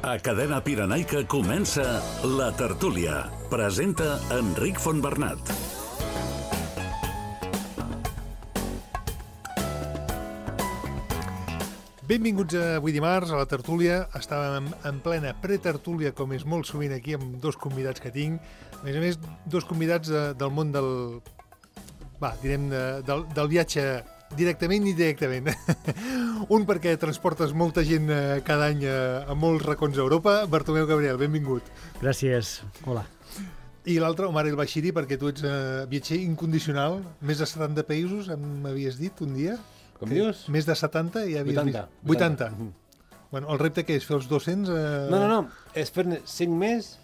A Cadena Pirenaica comença La Tertúlia. Presenta Enric Fontbernat. Benvinguts avui dimarts a La Tertúlia. Estàvem en plena pretertúlia, com és molt sovint aquí, amb dos convidats que tinc. A més, dos convidats del món del viatge directament i indirectament. Un perquè transportes molta gent cada any a molts racons d'Europa. Bartomeu Gabriel, benvingut. Gràcies. Hola. I l'altre, Omar El Bashiri, perquè tu ets viatger incondicional. Més de 70 països, m'havies dit un dia. Com dius? Més de 70 i ja havies 80. vist. 80. Bueno, el repte que és fer els 200... No. És fer-ne 5 més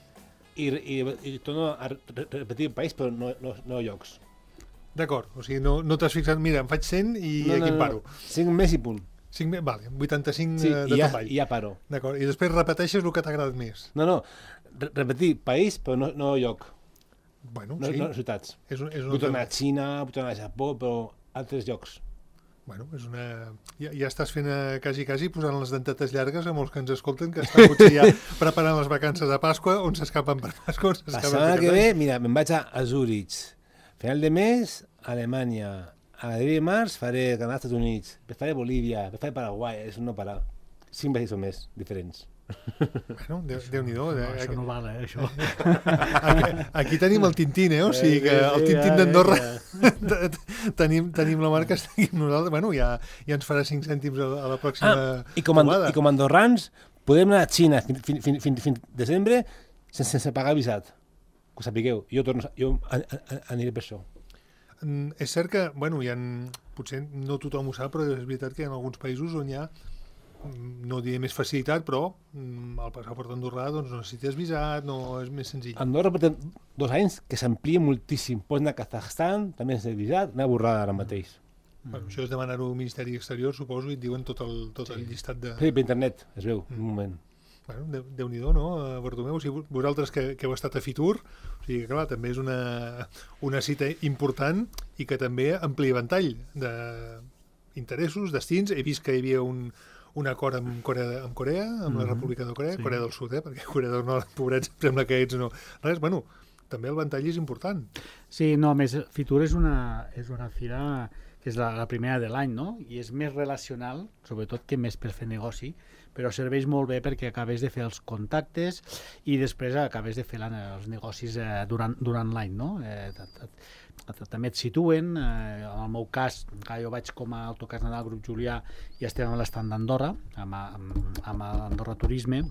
i torno a repetir el país, però no llocs. D'acord, o sigui, no t'has fixat, mira, em faig 100 i aquí em paro. 5 més i punt. 5 més, vale, 85 Sí, de topall. i ja paro. D'acord, i després repeteixes el que t'ha agradat més. No, repetir país, però no lloc. Bueno, No sí. ciutats. Puc Puc tornar a Xina, puc tornar a Japó, però altres llocs. Bueno, és una... Ja estàs fent quasi posant les dentetes llargues a molts que ens escolten, que estan potser ja preparant les vacances de Pasqua, on s'escapen per Pasqua, on s'escapen La setmana que ve, mira, me'n vaig a Zurich. Final de mes, Alemanya. A l'abril i març faré Canadà, Estats Units. Després faré Bolívia, després faré Paraguai. És un no parar. 5 països més diferents. Bueno, Déu-n'hi-do. No, això no val, això. Aquí tenim el Tintín, O sigui que el Tintín d'Andorra tenim la marca, estem nosaltres. Bueno, ja ens farà 5 cèntims a la pròxima trobada. I com a andorrans podem anar a Xina fins desembre sense pagar visat. Que ho sapigueu. Jo aniré per això. És cert que, bueno, potser no tothom ho sap, però és veritat que hi ha alguns països on hi ha, no diré més facilitat, però el passaport andorrà doncs, no necessites visat, no és més senzill. Andorra porta 2 anys que s'amplia moltíssim. Pots anar a Kazakhstan, també sense visat, una borrada ara mateix. Bueno, això és demanar-ho al Ministeri Exterior, suposo, i et diuen tot el llistat de... Sí, per internet, es veu, un moment. Bueno, Déu-n'hi-do, no, Bartomeu? O sigui, vosaltres que heu estat a Fitur, o sigui, clar, també és una cita important i que també amplia ventall d'interessos, destins. He vist que hi havia un acord amb Corea, amb la República de Corea, sí. Corea del Sud, perquè Corea del Nord, pobrets, sembla que ets no. Res, bueno, també el ventall és important. Sí, no, més, Fitur és una fira que és la primera de l'any, no? I és més relacional, sobretot que més per fer negoci, però serveix molt bé perquè acabes de fer els contactes i després acabes de fer els negocis durant l'any, no? També et situen, en el meu cas, jo vaig com a autocars Nadal Grup Julià i estem a l'estand d'Andorra, amb Andorra Turisme,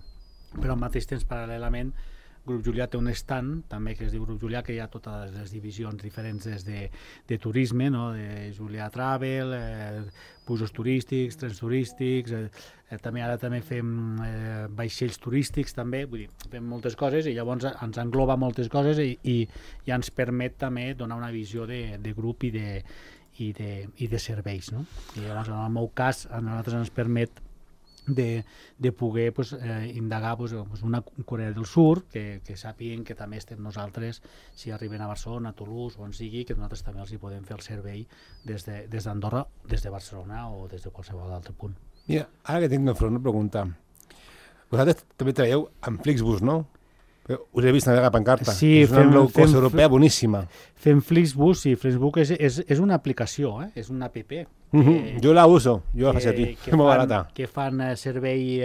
però al mateix temps, paral·lelament, Grup Julià té un stand, també, que es diu Grup Julià, que hi ha totes les divisions diferents de turisme, no? De Julià Travel, busos turístics, trens turístics, també fem vaixells turístics, també, vull dir, fem moltes coses i llavors ens engloba moltes coses i ens permet també donar una visió de grup i de serveis, no? I llavors, en el meu cas, a nosaltres ens permet de poder indagar una Corea del Sur, que sàpiguen que també estem nosaltres, si arriben a Barcelona, a Toulouse, on sigui, que nosaltres també els hi podem fer el servei des d'Andorra, des de Barcelona o des de qualsevol altre punt. Mira, ara que tinc una pregunta. Vosaltres també treballeu amb Flixbus, no? Us he vist navegar pancarta. Sí, és una low cost europea boníssima. Fem Flixbus, sí. Flixbus és una aplicació, és una app. Jo la uso, jo la faig a ti, és molt barata. Que fan servei,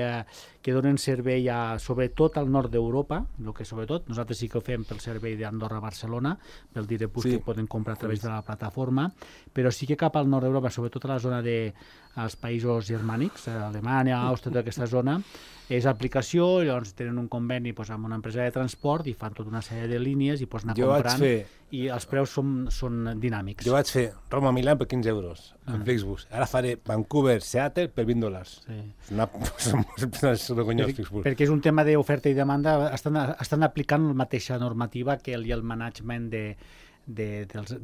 que donen servei sobretot al nord d'Europa, el que sobretot, nosaltres sí que ho fem pel servei d'Andorra-Barcelona, pel Direpus que poden comprar a través de la plataforma, però sí que cap al nord d'Europa, sobretot a la zona dels països germànics, Alemanya, Àustria, tota aquesta zona, és aplicació, llavors tenen un conveni amb una empresa de transport i fan tota una sèrie de línies i pots anar comprant i els preus són dinàmics. Jo vaig fer Roma-Milà per 15 euros amb Flixbus. Ara faré Vancouver-Seattle per $20. Sí. És vergonyós Flixbus. Perquè és un tema d'oferta i demanda, estan aplicant la mateixa normativa que el management de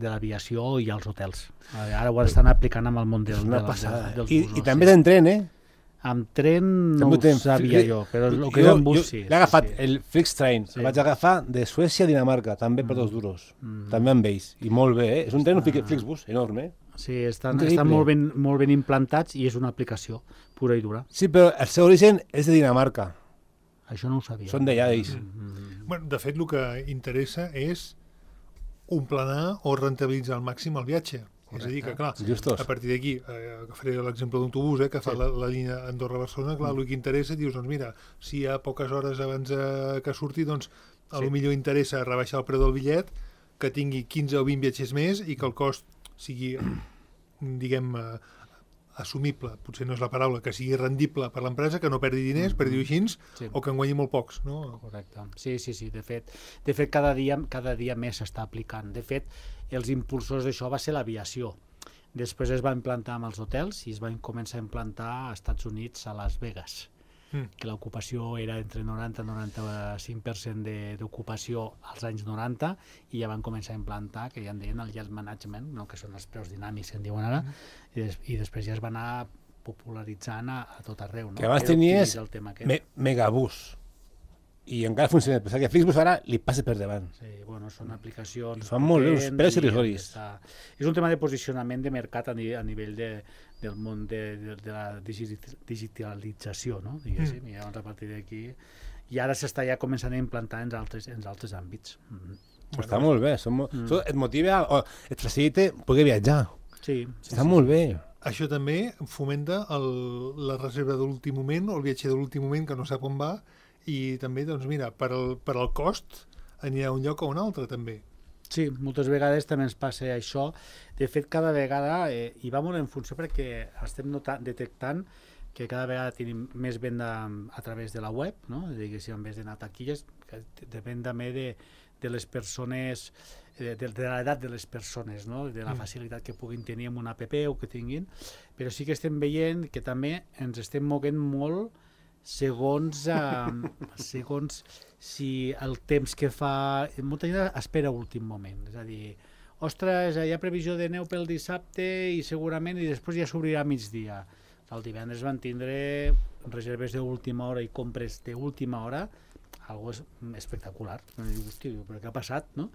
l'aviació i els hotels. Ara ho estan aplicant amb el món dels busos. I també tenen tren, Amb tren no ho sabia jo, però el que és en bus sí. L'he agafat, el Flixtrain, el vaig agafar de Suècia a Dinamarca, també per €2. També amb ells, i molt bé, És un tren Flixbus enorme, Sí, estan molt ben implantats i és una aplicació pura i dura. Sí, però el seu origen és de Dinamarca. Això no ho sabia. Són d'allà, ells. Bueno, de fet, el que interessa és planar o rentabilitzar al màxim el viatge. És a dir, que clar, Justos. a partir d'aquí, faré l'exemple d'un autobús que fa la línia Andorra-Barcelona, clar, el que interessa, dius, doncs mira, si hi ha poques hores abans que surti, doncs a lo millor interessa rebaixar el preu del bitllet, que tingui 15 o 20 viatgers més i que el cost sigui, diguem, assumible, potser no és la paraula, que sigui rendible per l'empresa, que no perdi diners, per dir-ho així, o que en guanyi molt pocs, no? Correcte. Sí, de fet cada dia més s'està aplicant. De fet, els impulsors d'això va ser l'aviació. Després es va implantar amb els hotels i es van començar a implantar als Estats Units, a Las Vegas, que l'ocupació era entre 90 i 95% d'ocupació als anys 90 i ja van començar a implantar, que ja en deien el yield management, no? Que són els preus dinàmics que en diuen ara, i després ja es va anar popularitzant a tot arreu. No? Que abans tenies Megabús i encara funciona, però que Flixbus ara li passa per davant. Sí, bueno, són aplicacions... Fan molt bé, uns preus irrisoris. És un tema de posicionament de mercat a nivell del món de la digitalització, no? Diguéssim, i llavors a partir d'aquí... I ara s'està ja començant a implantar en altres àmbits. Està molt bé, et motiva, et facilita poder viatjar. Sí. Està molt bé. Això també fomenta la reserva de l'últim moment o el viatger de l'últim moment que no sap on va, i també, doncs mira, per al cost anirà a un lloc o a un altre, també. Sí, moltes vegades també ens passa això. De fet, cada vegada, i va molt en funció perquè estem detectant que cada vegada tenim més venda a través de la web, no? Diguéssim, en vez d'anar a taquilles, que depèn també de les persones, de l'edat de les persones, no? De la facilitat que puguin tenir amb una app o que tinguin, però sí que estem veient que també ens estem moguent molt segons si el temps que fa... Molta gent espera a últim moment, és a dir, ostres, hi ha previsió de neu pel dissabte i segurament i després ja s'obrirà a migdia. El divendres van tindre reserves d'última hora i compres d'última hora, algo espectacular. Hosti, però què ha passat, no?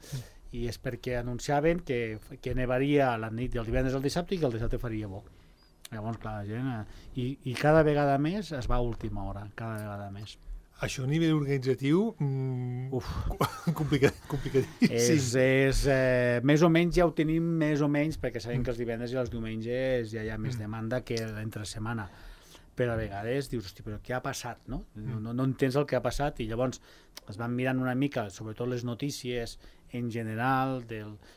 I és perquè anunciaven que nevaria la nit del divendres al dissabte i que el dissabte faria bo. Llavors, clar, la gent... I cada vegada més es va a última hora, cada vegada més. Això a nivell organitzatiu, complicadíssim. Més o menys ja ho tenim, més o menys, perquè sabem que els divendres i els diumenges ja hi ha més demanda que l'entre setmana. Però a vegades dius, hosti, però què ha passat, no? No entens el que ha passat i llavors es van mirant una mica, sobretot les notícies en general,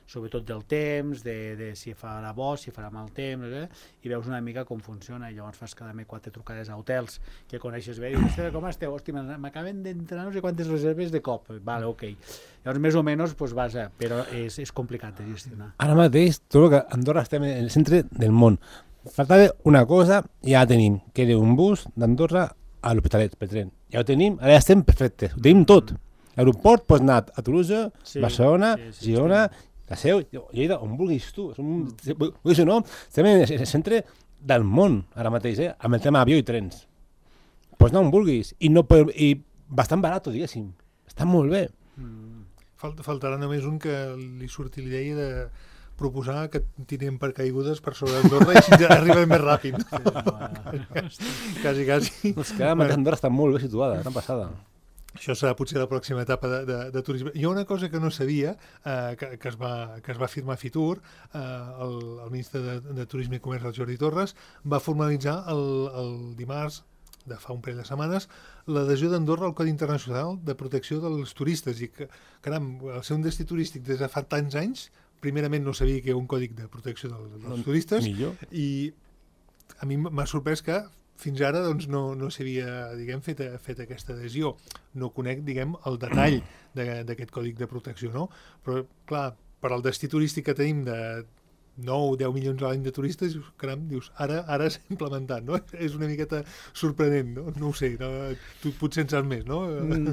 sobretot del temps, de si farà bo, si farà mal temps, i veus una mica com funciona, i llavors fas cada mes 4 trucades a hotels que coneixes bé, i dius, com esteu? Hosti, m'acaben d'entrar no sé quantes reserves de cop. Vale, ok. Llavors, més o menys, vas a... Però és complicat de gestionar. Ara mateix, tot que Andorra estem en el centre del món. Faltava una cosa i ja la tenim, que era un bus d'Andorra a l'Hospitalet, per tren. Ja ho tenim, ara ja estem perfectes, ho tenim tot. L'aeroport pots anar a Toulouse, Barcelona, Girona, la Seu, Lleida, on vulguis tu. Vulguis o no, estem en el centre del món ara mateix, amb el tema avió i trens. Pots anar on vulguis, i bastant barat, diguéssim. Està molt bé. Faltarà només un que li surti l'idea de proposar que tirem per caigudes per sobre Andorra i així ja arribem més ràpid. Quasi. És que Andorra està molt bé situada, tan passada. Això serà potser la pròxima etapa de turisme. Hi ha una cosa que no sabia, que es va firmar a Fitur, el ministre de Turisme i Comerç, el Jordi Torres, va formalitzar el dimarts, de fa un parell de setmanes, l'adhesió d'Andorra al Codi Internacional de Protecció dels Turistes. I que, caram, al ser un destí turístic des de fa tants anys, primerament no sabia que hi ha un còdic de protecció dels turistes, i a mi m'ha sorprès que fins ara doncs, no s'havia fet aquesta adhesió. No conec el detall d'aquest còdic de protecció, no? Però, clar, per al destí turístic que tenim de 9-10 milions a l'any de turistes, caram, dius, ara s'ha implementat, no? És una miqueta sorprenent, no? No ho sé, tu potser en saps més, no?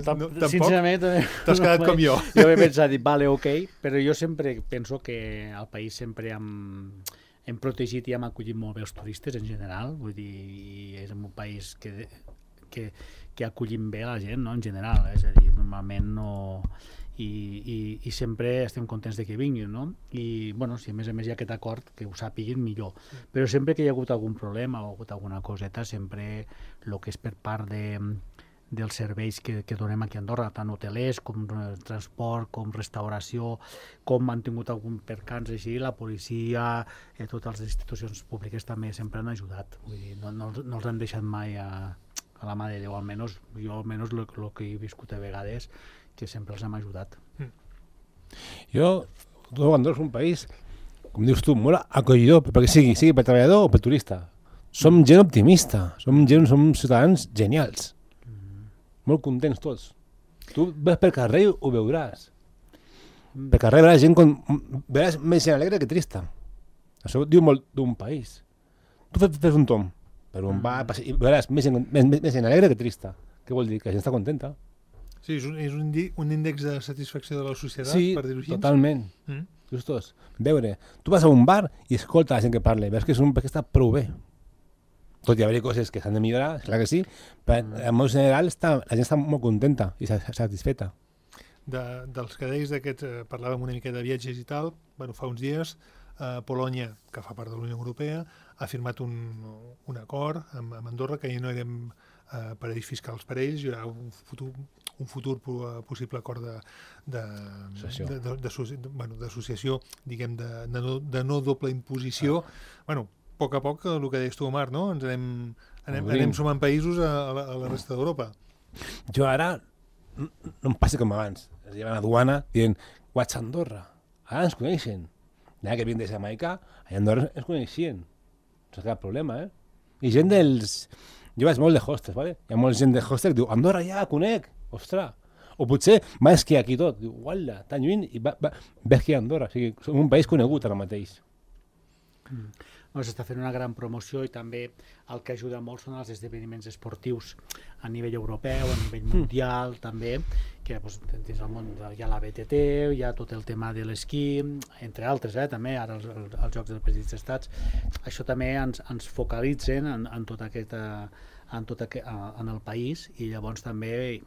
Tampoc? Sincerament, t'has quedat com jo. Jo he pensat, vale, ok, però jo sempre penso que al país sempre hem protegit i hem acollit molt bé els turistes en general, vull dir, és un país que acollim bé la gent, no?, en general, és a dir, normalment no... I sempre estem contents de que vinguin, no? I, bueno, si a més hi ha aquest acord, que ho sàpiguin millor. Però sempre que hi ha hagut algun problema o ha hagut alguna coseta, sempre el que és per part dels serveis que donem aquí a Andorra, tant hotelers com transport, com restauració, com han tingut algun percans així, la policia, totes les institucions públiques també sempre han ajudat. Vull dir, no els han deixat mai a la mà de Déu, almenys el que he viscut a vegades, que sempre els hem ajudat. Andorra és un país, com dius tu, molt acollidor, perquè sigui per treballador o per turista. Som gent optimista, som ciutadans genials. Molt contents tots. Tu ves pel carrer i ho veuràs. Pel carrer veuràs més gent alegre que trista. Això diu molt d'un país. Tu fes un tom per un bar i veuràs més gent alegre que trista. Què vol dir? Que la gent està contenta. Sí, és un índex de satisfacció de la societat, per dir-ho així. Sí, totalment. Justos. Veure, tu vas a un bar i escolta la gent que parla, veus que és un bar que està prou bé. Tot i haver-hi coses que s'han de millorar, clar que sí, però en modo general la gent està molt contenta i satisfeta. Dels que deies parlàvem una mica de viatges i tal, fa uns dies Polònia, que fa part de la Unió Europea, ha firmat un acord amb Andorra que ja no érem parells fiscals per ells, hi haurà un futur possible acord d'associació, diguem, de no doble imposició. A poc, el que deies tu, Omar, no? Ens anem sumant països a la resta d'Europa. Jo ara no em passi com abans. Es llevan a duana dient, vaig a Andorra. Ara ens coneixen. Allà que vinc de Jamaica, a Andorra ens coneixien. No és cap problema, eh? I gent dels... Jo vaig molt de hostels, ¿vale? Hi ha molta gent de hostels que diu, Andorra ja, conec, ostres. O potser va esquiar aquí tot. Diu, uala, tan lluny, i va esquiar a Andorra. O sigui, som un país conegut ara mateix. S'està fent una gran promoció i també el que ajuda molt són els esdeveniments esportius a nivell europeu, a nivell mundial també, que dins el món hi ha la BTT, hi ha tot el tema de l'esquí, entre altres, també ara els Jocs dels Petits Estats. Això també ens focalitzen en tot aquest en el país i llavors també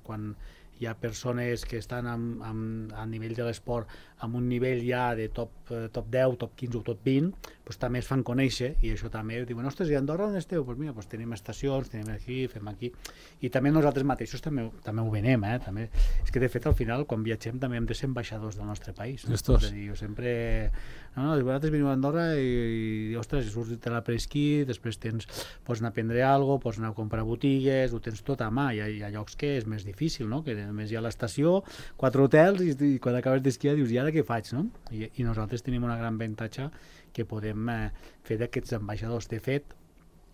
quan hi ha persones que estan a nivell de l'esport amb un nivell ja de top 10, top 15 o top 20, també es fan conèixer i això també diuen, ostres, i a Andorra on esteu? Doncs mira, tenim estacions, tenim aquí, fem aquí. I també nosaltres mateixos també ho venem, també. És que de fet al final quan viatgem també hem de ser ambaixadors del nostre país. És a dir, jo sempre... vosaltres veniu a Andorra i ostres, surts de la preesquí, després pots anar a prendre alguna cosa, pots anar a comprar botigues, ho tens tot a mà. Hi ha llocs que és més difícil, no? Que només hi ha l'estació, 4 hotels i quan acabes d'esquiar dius, i ara què faig? No? I nosaltres tenim un gran avantatge que podem fer d'aquests ambaixadors. De fet,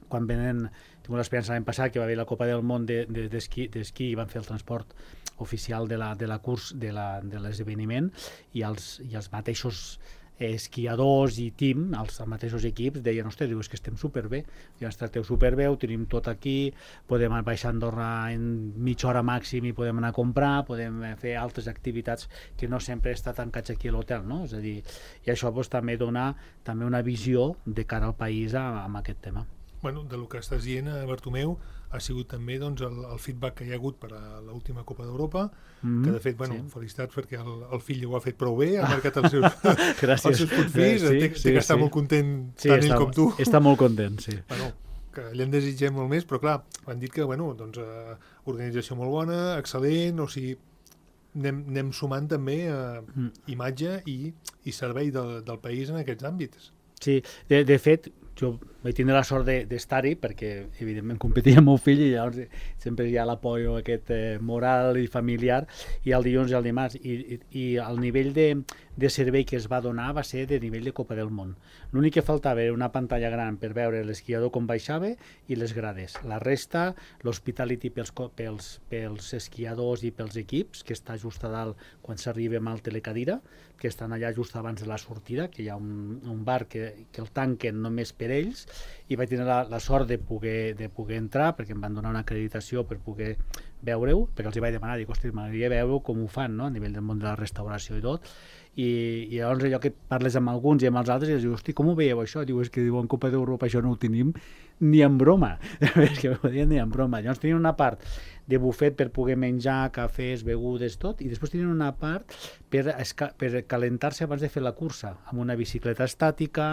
quan venen, tinc l'experiència l'any passat que va haver la Copa del Món d'esquí i van fer el transport oficial de l'esdeveniment i els mateixos esquiadors i team, els mateixos equips deien, ostres, és que estem superbé, ja ens tracteu superbé, ho tenim tot aquí, podem baixar a Andorra en mitja hora màxim i podem anar a comprar, podem fer altres activitats que no sempre està tancats aquí a l'hotel, no? És a dir, i això també dona una visió de cara al país amb aquest tema. Del que estàs dient, Bartomeu, ha sigut també el feedback que hi ha hagut per a l'última Copa d'Europa, que de fet, felicitats perquè el fill ho ha fet prou bé, ha marcat els seus punts fills, té que estar molt content tant ell com tu. Està molt content, sí. Que allà en desitgem molt més, però clar, han dit que, organització molt bona, excel·lent, o sigui, anem sumant també imatge i servei del país en aquests àmbits. Sí, de fet, jo vaig tindre la sort d'estar-hi perquè, evidentment, competia amb el meu fill i llavors sempre hi ha l'apoio aquest moral i familiar i el dilluns i el dimarts i el nivell de servei que es va donar va ser de nivell de Copa del Món. L'únic que faltava era una pantalla gran per veure l'esquiador com baixava i les grades. La resta, l'hospitality pels esquiadors i pels equips, que està just a dalt quan s'arriba amb el telecadira, que estan allà just abans de la sortida, que hi ha un bar que el tanquen només per ells, i vaig tenir la sort de poder entrar, perquè em van donar una acreditació per poder veure-ho, perquè els hi vaig demanar, dic, ostres, m'agradaria veure com ho fan, no?, a nivell del món de la restauració i tot, i llavors allò que parles amb alguns i amb els altres i els dius, hosti, com ho veieu això? Diu, és que en Copa d'Europa això no ho tenim ni en broma, és que ho diem ni en broma. Llavors tenien una part de bufet per poder menjar, cafès, begudes, tot, i després tenien una part per calentar-se abans de fer la cursa, amb una bicicleta estàtica,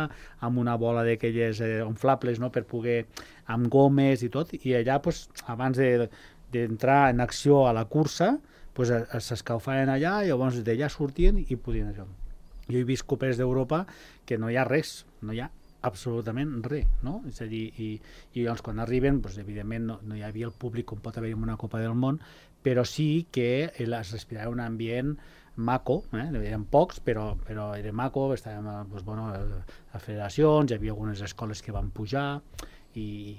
amb una bola d'aquelles inflables, no?, per poder, amb gomes i tot, i allà, abans de d'entrar en acció a la cursa, pues, s'escalfaven allà i llavors d'allà sortien i podien això. Jo he vist copers d'Europa que no hi ha res, no hi ha absolutament res, no? És a dir, i llavors quan arriben, doncs, evidentment no hi havia el públic com pot haver en una Copa del Món, però sí que es respirava un ambient maco, eren pocs, però era maco, estàvem a federacions, hi havia algunes escoles que van pujar, i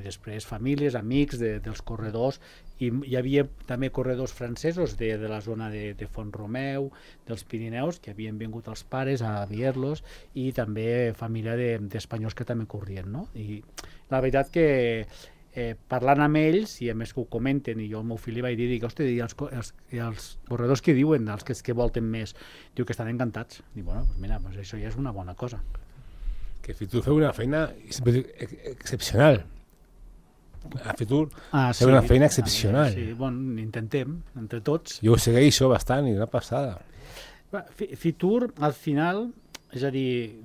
després famílies, amics dels corredors, i hi havia també corredors francesos de la zona de Font-romeu, dels Pirineus, que havien vingut els pares a veure-los, i també família d'espanyols que també corrien, no? I la veritat que parlant amb ells, i a més que ho comenten, i jo al meu fill li vaig dir, hosti, i els corredors que diuen, els que volten més, diu que estan encantats. Dic, bueno, doncs mira, això ja és una bona cosa. Que Fitur feu una feina excepcional. A Fitur feu una feina excepcional. Sí, bueno, intentem, entre tots. Jo ho segueixo bastant i una passada. Fitur, al final, és a dir,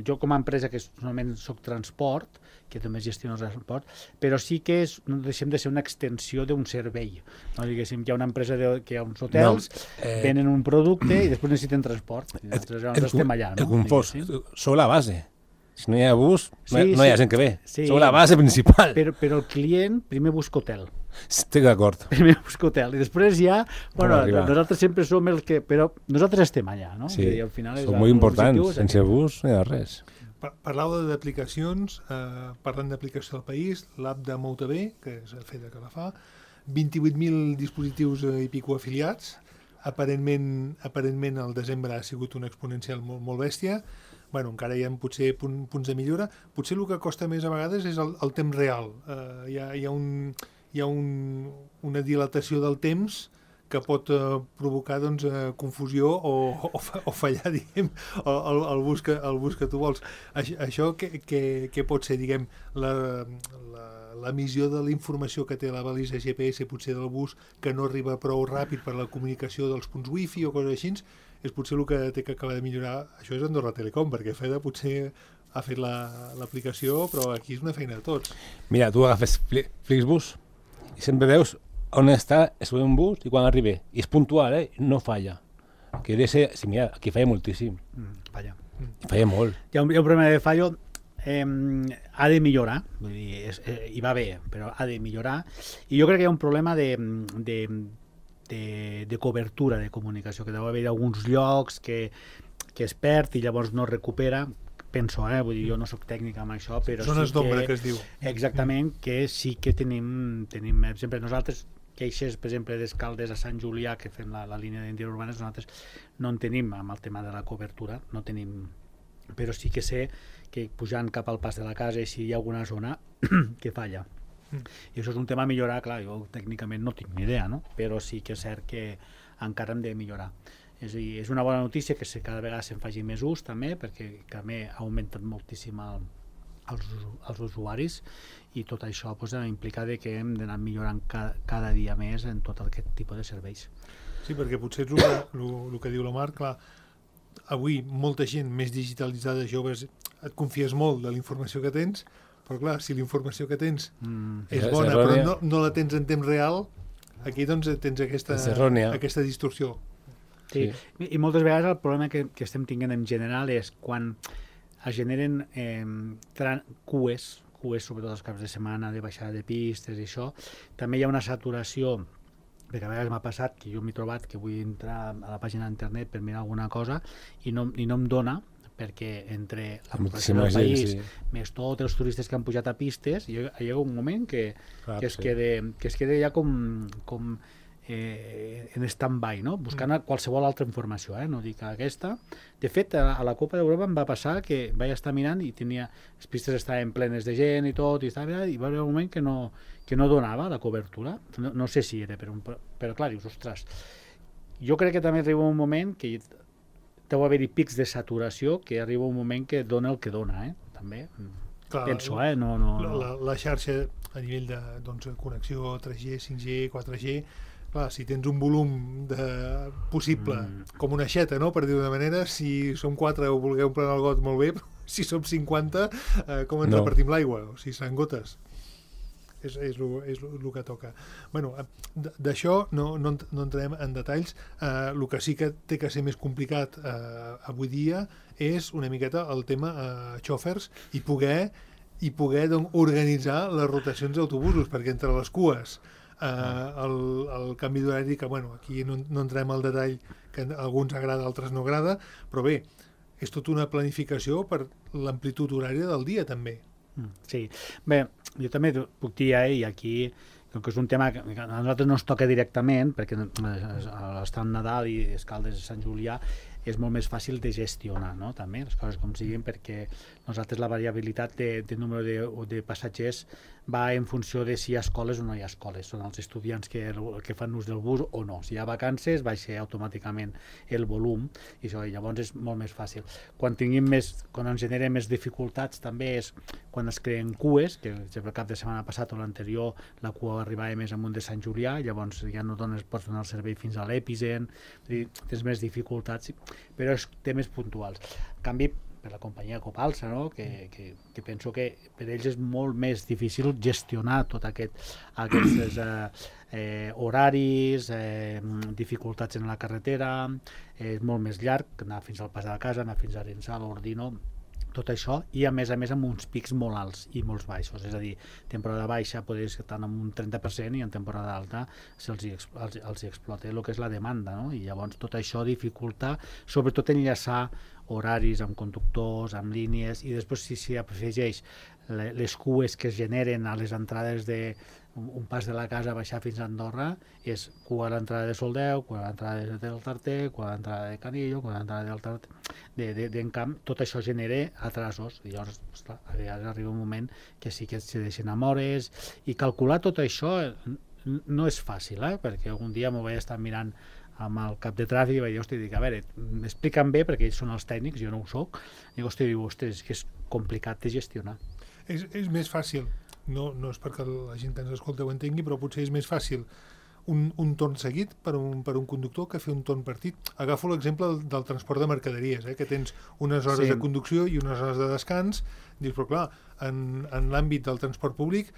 jo com a empresa que normalment soc transport, que també gestiono el transport, però sí que no deixem de ser una extensió d'un servei. No, diguéssim, hi ha una empresa que hi ha uns hotels, venen un producte i després necessiten transport. I nosaltres estem allà, no? El confós, sou la base. Si no hi ha bus, no hi ha gent que ve. Sí, sou la base principal. Però el client primer busca hotel. Estic d'acord. Primer busca hotel. I després ja, nosaltres sempre som els que... Però nosaltres estem allà, no? Sí, i al final són molt importants. Sense bus no hi ha res. Parlàveu d'aplicacions, parlant d'aplicació del país, l'app de MoutaB, que és feta que la fa, 28.000 dispositius i pico afiliats, aparentment el desembre ha sigut una exponencial molt bèstia. Bueno, encara hi ha potser punts de millora. Potser el que costa més a vegades és el temps real. Hi ha una dilatació del temps que pot provocar confusió o fallar, diguem, el bus que tu vols. Això què pot ser, diguem, l'emissió de la informació que té la balisa GPS potser del bus que no arriba prou ràpid per la comunicació dels punts wifi o coses així, és potser el que té que acabar de millorar. Això és Andorra Telecom, perquè FEDA potser ha fet l'aplicació, però aquí és una feina de tots. Mira, tu agafes Flixbus i sempre veus on està un bus i quan arriba. I és puntual, no falla. Que sí, mira, aquí falla moltíssim. Falla. Falla molt. Hi ha un problema de fallo, ha de millorar, vull dir, hi va bé, però ha de millorar. I jo crec que hi ha un problema de cobertura de comunicació, que deu haver alguns llocs que es perd i llavors no recupera. Penso, vull dir, jo no soc tècnic amb això, però zones d'ombra, que es diu. Exactament, que sí que tenim sempre nosaltres, queixes, per exemple, d'Escaldes a Sant Julià, que fem la línia d'interurbanes, nosaltres no en tenim amb el tema de la cobertura, no tenim, però sí que sé que pujant cap al pas de la casa, si hi ha alguna zona que falla. I això és un tema a millorar, clar, jo tècnicament no tinc ni idea, no? Però sí que és cert que encara hem de millorar. És a dir, és una bona notícia que cada vegada se'n faci més ús també, perquè també ha augmentat moltíssim els usuaris i tot això implica que hem d'anar millorant cada dia més en tot aquest tipus de serveis. Sí, perquè potser és el que diu la Mar, clar, avui molta gent més digitalitzada, joves, et confies molt de la informació que tens, però clar, si la informació que tens és bona però no la tens en temps real, aquí doncs tens aquesta distorsió. Sí. I moltes vegades el problema que estem tinguent en general és quan es generen cues, sobretot els caps de setmana, de baixada de pistes i això, també hi ha una saturació, perquè a vegades m'ha passat que jo m'he trobat que vull entrar a la pàgina d'internet per mirar alguna cosa i no em dona, perquè entre la població del país, més tots els turistes que han pujat a pistes, hi ha un moment que es queda ja com en stand-by, no? Buscant qualsevol altra informació, no dic aquesta. De fet, a la Copa d'Europa em va passar que vaig estar mirant i les pistes estaven plenes de gent i tot, i va haver un moment que no donava la cobertura. No sé si era, però clar, dius, ostres, jo crec que també arriba un moment que deu haver-hi pics de saturació, que arriba un moment que dona el que dona, també. Clar, penso, la xarxa a nivell de connexió 3G, 5G, 4G, clar, si tens un volum possible, com una aixeta, no? Per dir d'una manera, si som 4 o vulgueu emplenar el got molt bé, però si som 50, com ens repartim l'aigua? O si seran gotes. és el que toca. Bueno, d'això no entrem en detalls. El que sí que té que ser més complicat avui dia és una miqueta el tema xòfers i poder doncs, organitzar les rotacions d'autobusos, perquè entre les cues el canvi d'horari, que bueno, aquí no entrem al detall, que a alguns agrada, a altres no agrada, però bé, és tota una planificació per l'amplitud horària del dia també. Sí, bé, jo també puc dir, i aquí, com que és un tema que a nosaltres no ens toca directament, perquè està en Nadal i Escaldes de Sant Julià, és molt més fàcil de gestionar, no? També, les coses com siguin, perquè nosaltres la variabilitat de número de passatgers va en funció de si hi ha escoles o no hi ha escoles. Són els estudiants que fan ús del bus o no. Si hi ha vacances, baixa automàticament el volum i això, llavors és molt més fàcil. Quan ens generen més dificultats també és quan es creen cues, que el cap de setmana passat o l'anterior la cua arribava més amunt de Sant Julià, llavors ja no pots donar el servei fins a l'Epicent, tens més dificultats, però és temes puntuals. En canvi, per la companyia Copalsa, no? que penso que per ells és molt més difícil gestionar tots aquests horaris, dificultats en la carretera, és molt més llarg anar fins al Pas de la Casa, anar fins a Arençà, l'Ordino, tot això, i a més amb uns pics molt alts i molt baixos, és a dir, temporada baixa podries estar amb un 30% i en temporada alta els explota el que és la demanda, no? I llavors tot això dificulta, sobretot enllaçar horaris amb conductors, amb línies, i després si s'hi afegeix les cues que es generen a les entrades un Pas de la Casa a baixar fins a Andorra, és cua a l'entrada de Soldeu, cua a l'entrada del Tarter, cua a l'entrada de Canillo, cua a l'entrada del Tarter, d'Encamp, tot això genera atrasos, i llavors a vegades arriba un moment que sí que se deixen amb hores, i calcular tot això no és fàcil, perquè algun dia m'ho vaig estar mirant amb el cap de tràfic i vaig dir, hosti, a veure, m'expliquen bé perquè ells són els tècnics, jo no ho soc, i hosti, ostres, és que és complicat de gestionar. És més fàcil, no és perquè la gent que ens escolta ho entengui, però potser és més fàcil un torn seguit per un conductor que fer un torn partit. Agafo l'exemple del transport de mercaderies, que tens unes hores de conducció i unes hores de descans. Dius, però clar, en l'àmbit del transport públic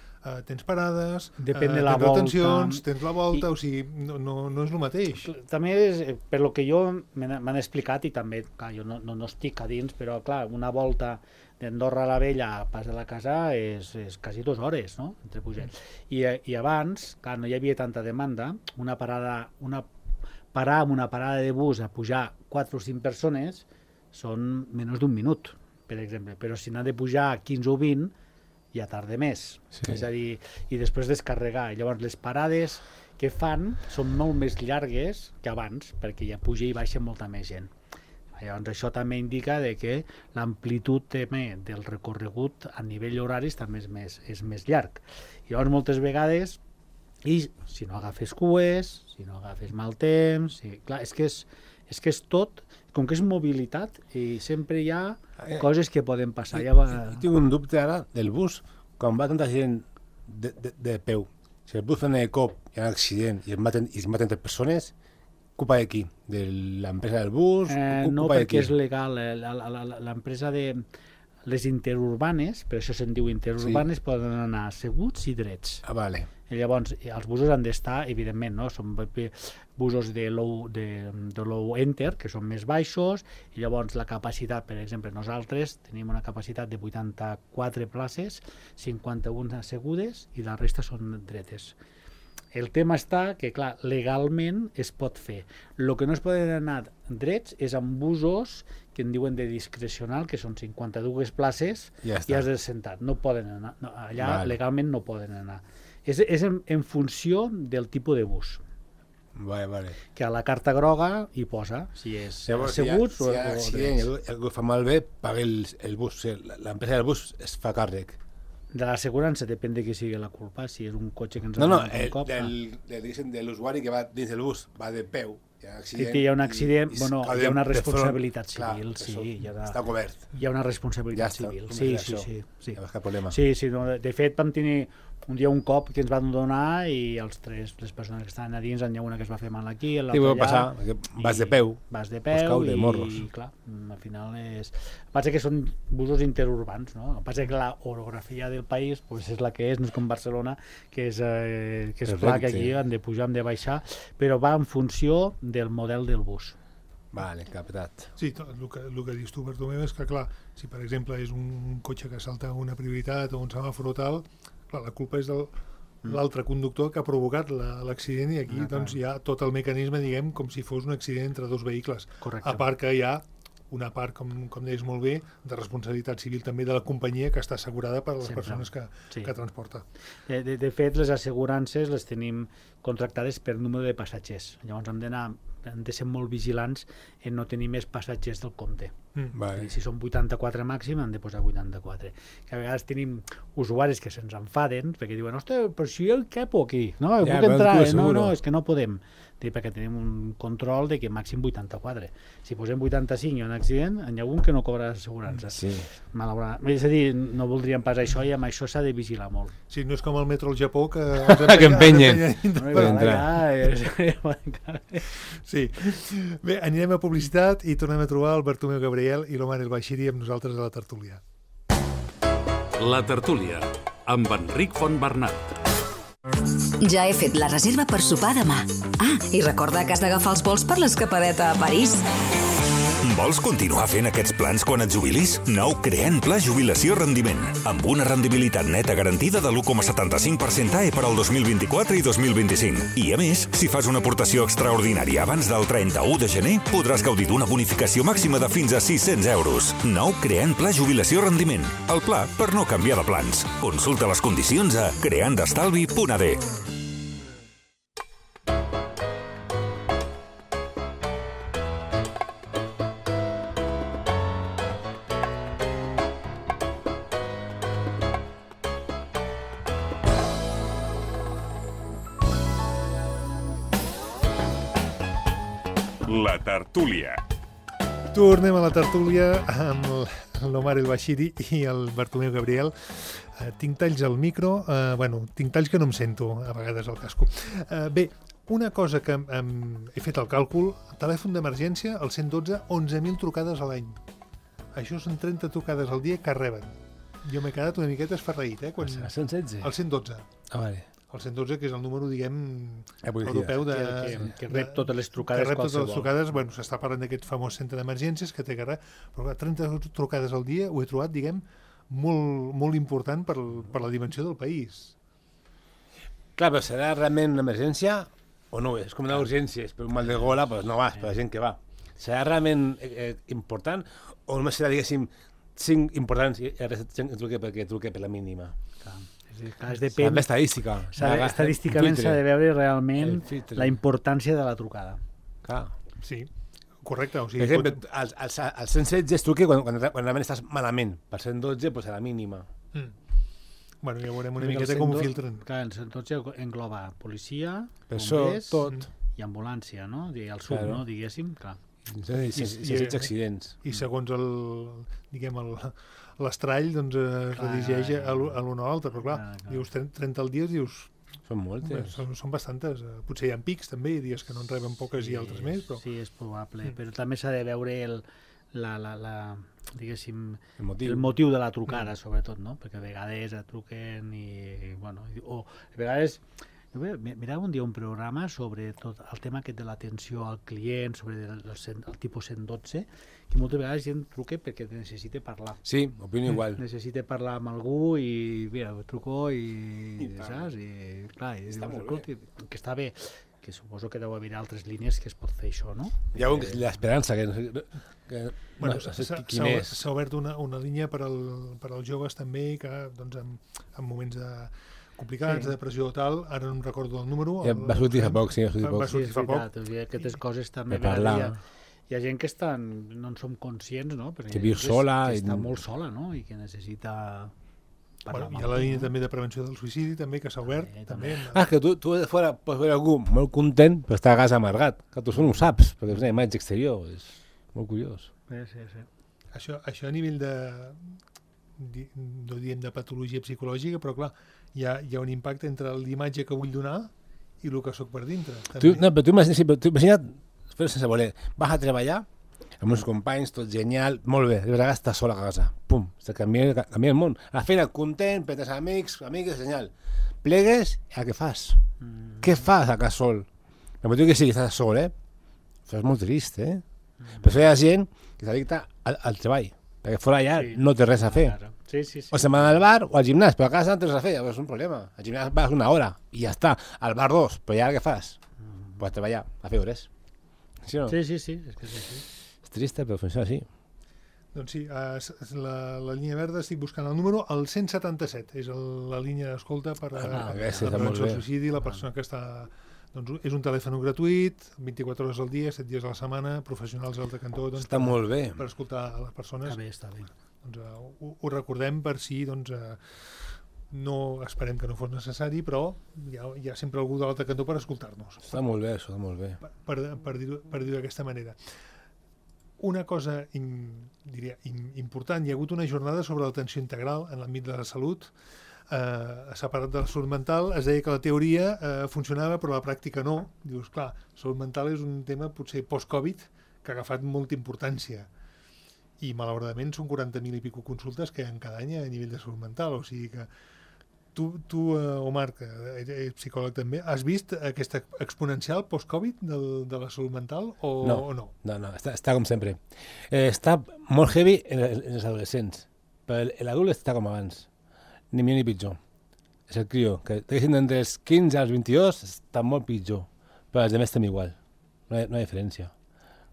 tens parades, tens retencions, tens la volta, o sigui, no és el mateix. També és, per lo que jo m'han explicat, i també, clar, jo no estic a dins, però clar, una volta d'Andorra a la Vella a Pas de la Casa és quasi 2 hores, no?, entre pujats. I abans, clar, no hi havia tanta demanda, parar amb una parada de bus a pujar 4 o 5 persones són menys d'un minut, per exemple, però si n'ha de pujar 15 o 20 ja tarda més, és a dir, i després descarregar. Llavors les parades que fan són molt més llargues que abans, perquè ja puja i baixa molta més gent. Llavors això també indica que l'amplitud del recorregut a nivell horaris també és més llarg. Llavors moltes vegades, i si no agafes cues, si no agafes mal temps, clar, és que és tot, com que és mobilitat, i sempre hi ha coses que poden passar. Tinc un dubte ara del bus, quan va tanta gent de peu, si el bus frena de cop, hi ha un accident i es maten 3 persones, culpa de qui? De l'empresa del bus? No, perquè és legal. L'empresa de les interurbanes, per això se'n diu interurbanes, poden anar asseguts i drets. Vale. I llavors, els busos han d'estar, evidentment, no? Són busos de low enter, que són més baixos, i llavors la capacitat, per exemple, nosaltres tenim una capacitat de 84 places, 51 assegudes i la resta són dretes. El tema està que, clar, legalment es pot fer. El que no es poden anar drets és amb busos que en diuen de discrecional, que són 52 places, i has de sentar. No poden anar. Allà legalment no poden anar. És en funció del tipus de bus. Vale. Que a la carta groga hi posa si és asseguts o drets. Si algú fa malbé, paga el bus. L'empresa del bus es fa càrrec. De l'assegurança depèn de qui sigui la culpa, si és un cotxe que ens ha donat un cop. De l'usuari que va dins del bus, va de peu, hi ha un accident. Si hi ha un accident, hi ha una responsabilitat civil. Està cobert. Hi ha una responsabilitat civil. Sí. No hi ha cap problema. Sí, de fet vam tenir un dia un cop que ens van donar i les persones que estaven a dins, n'hi ha una que es va fer mal aquí, Sí, pot passar, vas de peu. Vas de Pots peu caure, i, morros. clar, al final és... Passa que són busos interurbans, no? Passa que la orografia del país pues, és la que és, no és com Barcelona, que és clar que aquí han de pujar, han de baixar, però va en funció del model del bus. Vale, captat. Sí, el que dius tu, Bartomeu, és que, clar, si per exemple és un cotxe que salta una prioritat o un semàfor o tal, clar, la culpa és de l'altre conductor que ha provocat l'accident i aquí doncs, hi ha tot el mecanisme, diguem, com si fos un accident entre dos vehicles. Correcte. A part que hi ha una part, com deies molt bé, de responsabilitat civil també de la companyia que està assegurada per les persones que transporta. De fet, les assegurances les tenim contractades per número de passatgers. Llavors hem de ser molt vigilants en no tenir més passatgers del compte. Vale. Si són 84 màxim, han de posar 84. Que a vegades tenim usuaris que se'ns enfaden perquè diuen, ostres, però si jo capo aquí, no, Ja, puc entrar, però no, és que no podem. Perquè tenim un control de que màxim 84. Si posem 85 i hi ha un accident, n'hi ha algun que no cobra assegurança. Sí. Malauradament. És a dir, no voldríem pas això i amb això s'ha de vigilar molt. Sí, no és com el metro al Japó que... Que empenyen. Sí. Bé, anirem a publicitat i tornem a trobar el Bartomeu Gabriel i l'Omar El Baixiri amb nosaltres a la tertúlia. La tertúlia, amb Enric Fontbernat. Ja he fet la reserva per sopar demà. I recorda que has d'agafar els vols per l'escapadeta a París. Vols continuar fent aquests plans quan et jubilis? Nou Creant Pla Jubilació Rendiment, amb una rendibilitat neta garantida de l'1,75% AE per al 2024 i 2025. I a més, si fas una aportació extraordinària abans del 31 de gener, podràs gaudir d'una bonificació màxima de fins a 600 euros. Nou Creant Pla Jubilació Rendiment, el pla per no canviar de plans. Consulta les condicions a creandestalvi.ad. La tertúlia. Tornem a la tertúlia amb l'Omar El Baixiri i el Bartomeu Gabriel. Tinc talls al micro, tinc talls que no em sento a vegades al casco. Bé, una cosa que he fet el càlcul, telèfon d'emergència, el 112, 11.000 trucades a l'any. Això són 30 trucades al dia que reben. Jo m'he quedat una miqueta esferraït, El 116? El 112. Vale. El 112, que és el número, diguem, policia. europeu que rep totes les trucades que rep totes qualsevol. les trucades, s'està parlant d'aquest famós centre d'emergències que té que res, però 30 trucades al dia ho he trobat, diguem, molt important per la dimensió del país. Clar, però serà realment una emergència o no? És com una urgència, és per un mal de gola, doncs no vas, per la gent que va. Serà realment important o només serà, diguéssim, 5 importants i el resta truque perquè truque per la mínima? Clar. Es depèn. L'estadística. Estadísticament s'ha de veure realment la importància de la trucada. Clar. Sí, correcte. O sigui, per exemple, al 116 es truque quan realment estàs malament. Per 112, doncs a la mínima. Bueno, ja veurem una miqueta com ho filtren. Clar, el 112 engloba policia, bombers i ambulància, no? El sud, no? Diguéssim, clar. I accidents. I segons l'estrall doncs es redigeix a l'un o l'altre, però clar, dius 30 al dia, dius... Són moltes. Són bastantes. Potser hi ha pics també, dies que no en reben poques i altres més, però... Sí, és probable, però també s'ha de veure diguéssim, el motiu de la trucada, sobretot, no? Perquè a vegades truquen i... o a vegades... Mirava un dia un programa sobre tot el tema aquest de l'atenció al client, sobre el tipus 112, que moltes vegades gent truca perquè necessita parlar. Sí, opino igual. Necessita parlar amb algú i, mira, truco i saps? I clar, que està bé, que suposo que deu haver altres línies que es pot fer això, no? Hi ha l'esperança, s'ha obert una línia per als joves també, que doncs, en moments complicats, de depressió o tal, ara no em recordo el número. Va sortir fa poc, sí. Va sortir fa poc. Aquestes coses també hi ha gent que no en som conscients, no? Que viu sola. Que està molt sola, no? I que necessita parlar. Hi ha la línia també de prevenció del suïcidi, també, que s'ha obert. Que tu de fora pots veure algú molt content, però està a casa amargat. Que tu no ho saps, perquè és una imatge exterior. És molt curiós. Sí. Això a nivell no diem de patologia psicològica, però clar, hi ha un impacte entre l'imatge que vull donar i el que sóc per dintre. Però tu imagina't, però sense voler, vas a treballar amb uns companys, tot genial, molt bé, de vegades estàs sol a casa, pum, se canvia el món. A la feina, content, petes amigues, genial. Plegues, i què fas? Què fas a casa sol? No pot dir que sí, que estàs sol, Això és molt trist, Per això hi ha gent que s'addicta al treball, perquè fora allà no té res a fer. Sí. O se'n va al bar o al gimnàs, però a casa no té res a fer, és un problema. Al gimnàs vas una hora i ja està. Al bar 2, però ja què fas? Pues a treballar, a fer hores. Sí o no? Sí, és que és així. És trista, però funciona així. Doncs sí, la línia verda, estic buscant el número, el 177, és la línia d'escolta per la prevenció del suïcidi, la persona que està... Doncs és un telèfon gratuït, 24 hores al dia, 7 dies a la setmana, professionals al cantó... Doncs, està molt bé. Per escoltar a les persones. Està bé. Doncs, ho recordem per si doncs, no esperem que no fos necessari, però hi ha sempre algú de l'altre cantó per escoltar-nos. Està molt bé, això, està molt bé. Per dir-ho d'aquesta manera. Una cosa diria important, hi ha hagut una jornada sobre l'atenció integral en l'àmbit de la salut, separat de la salut mental. Es deia que la teoria funcionava però la pràctica no. Dius, clar, salut mental és un tema potser post-Covid que ha agafat molta importància i malauradament són 40.000 i pico consultes que hi ha cada any a nivell de salut mental, o sigui que tu Omar, que ets psicòleg també, has vist aquesta exponencial post-Covid de la salut mental o no? No, està com sempre. Està molt heavy en els adolescents, però l'adult està com abans. Ni millor ni pitjor. És el crió, que entre els 15 als 22 està molt pitjor, però els altres estem igual. No hi ha diferència.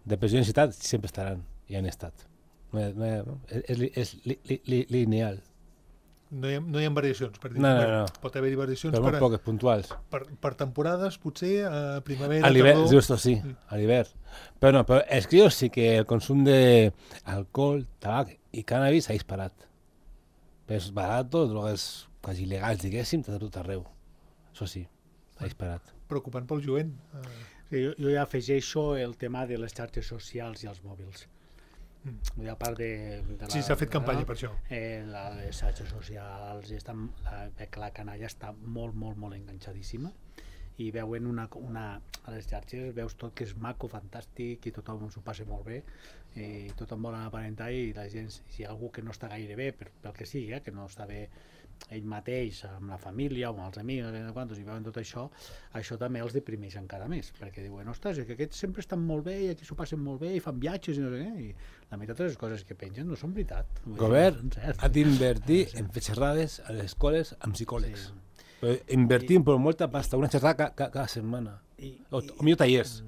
Depressió i ansietat sempre estaran, i han estat. És lineal. No hi ha variacions, per dir. No. Pot haver-hi variacions però molt poques, puntuals. Per temporades, potser, a primavera, a l'hivern, justo, sí, a l'hivern. Però els crios sí que el consum d'alcohol, tabac i cannabis s'ha disparat. És barat, drogues quasi il·legals, diguéssim, de tot arreu. Això sí, s'ha disparat. Preocupant pel jovent. Jo ja afegeixo el tema de les xarxes socials i els mòbils. A part sí, s'ha fet campanya per això. Les xarxes socials, la canalla està molt enganxadíssima i veuen a les xarxes veus tot que és maco, fantàstic i tothom s'ho passa molt bé i tothom vol aparentar i la gent, si hi ha algú que no està gaire bé pel que sigui, que no està bé ell mateix, amb la família o amb els amics, i veuen tot això, això també els deprimeix encara més, perquè diuen, ostres, que aquests sempre estan molt bé i aquí s'ho passen molt bé i fan viatges i no sé què, i la meitat de les coses que pengen no són veritat. El govern ha d'invertir en fer xerrades a les escoles amb psicòlegs. Però invertim per molta pasta, una xerrada cada setmana, o millor tallers.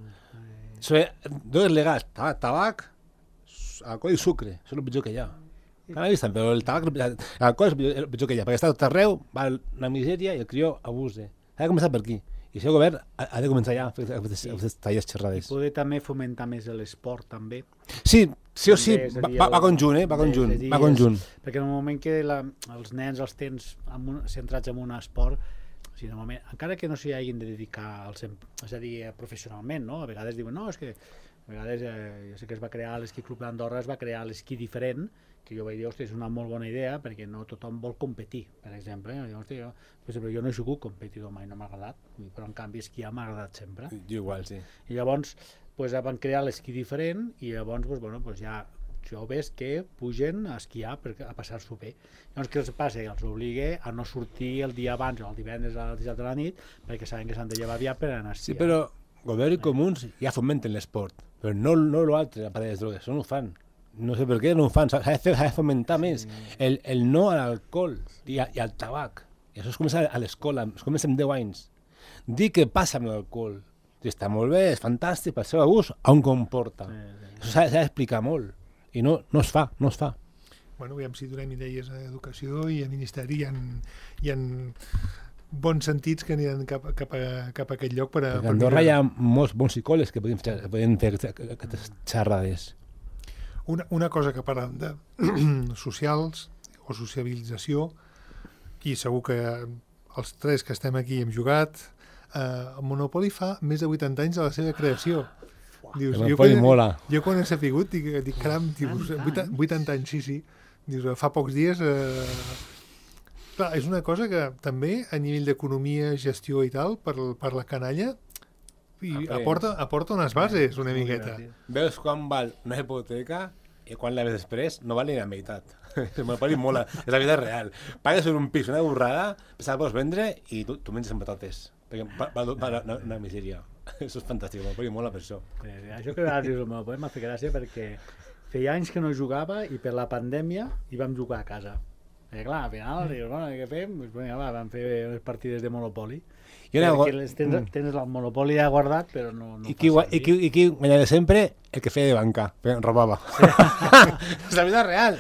Drogues legals, tabac, alcohol i sucre, això és el pitjor que hi ha. Cannabis també, però el tabac, l'alcohol és el pitjor que hi ha, perquè està tot arreu, va una misèria i el crió abuse. Ha de començar per aquí. I si el govern ha de començar ja a fer tallers xerrades. I poder també fomentar més l'esport, també. Sí o sí, va conjunt, va conjunt. Perquè en el moment que els nens els tens centrats en un esport, encara que no s'hi hagin de dedicar, és a dir, professionalment, no? A vegades diuen, no, és que a vegades, jo sé que es va crear l'esquí club d'Andorra, es va crear l'esquí diferent, que jo vaig dir, hòstia, és una molt bona idea, perquè no tothom vol competir, per exemple. Jo no he sigut competidor mai, no m'ha agradat, però en canvi esquiar m'ha agradat sempre. Jo igual, sí. I llavors van crear l'esquí diferent i llavors ja joves que pugen a esquiar a passar-s'ho bé. Llavors què els passa? Els obliga a no sortir el dia abans o el divendres a les 17 de la nit perquè saben que s'han de llevar aviat per anar a esquiar. Sí, però govern i comuns ja fomenten l'esport, però no l'altre, a part de les drogues, no ho fan. No sé per què no ho fan, s'ha de fomentar més el no a l'alcohol i al tabac. I això es comença a l'escola, es comença amb 10 anys. Dir què passa amb l'alcohol. Està molt bé, és fantàstic, pel seu abús, on comporta. Això s'ha d'explicar molt. I no es fa. Bueno, aviam si donem idees a Educació i a Ministeri. Hi ha bons sentits que aniran cap a aquest lloc. A Andorra hi ha molts bons psicòlegs que poden fer aquestes xerrades. Una cosa que parlen de socials o sociabilització, i segur que els tres que estem aquí hem jugat, el Monopoly fa més de 80 anys de la seva creació. Dius, jo quan he sapigut, dic caram, 80 anys, sí. Dius, fa pocs dies... Clar, és una cosa que també, a nivell d'economia, gestió i tal, per la canalla, i aporta unes bases, una miqueta. Veus quan val una hipoteca i quan la ves després no val ni la meitat. El monopoli mola, és la vida real. Pagues per un pis, una borrada, la pots vendre i tu menges amb patates. Perquè va una misèria. Això és fantàstic, el monopoli mola per això. Això que ara dius el monopoli m'ha fet gràcia perquè feia anys que no jugava i per la pandèmia hi vam jugar a casa. I clar, al final, dius, bueno, què fem? Pues, vinga, va, vam fer unes partides de Monopoli. Perquè tens el Monopoli ja guardat, però no I qui guanyava sempre? El que feia de banca, robava. És la vida real.